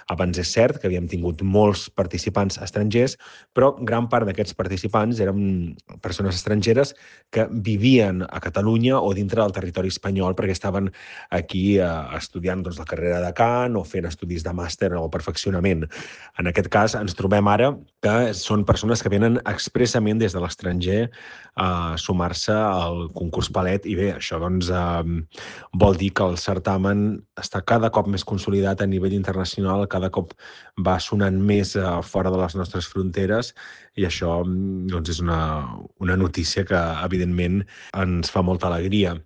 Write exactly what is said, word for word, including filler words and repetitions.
Abans és cert que havíem tingut molts participants estrangers, però gran part d'aquests participants eren persones estrangeres que vivien a Catalunya o dintre del territori espanyol perquè estaven aquí eh, estudiant doncs, la carrera de Cant o fent estudis de màster o perfeccionament. En aquest cas ens trobem ara que són persones que venen expressament des de l'estranger a sumar-se al concurs Palet i bé, això doncs eh, vol dir que el certamen està cada cop més consolidat a nivell internacional, cada cop va sonant més eh, fora de les nostres fronteres i això doncs, és una, una notícia que evidentment ens fa molta alegria.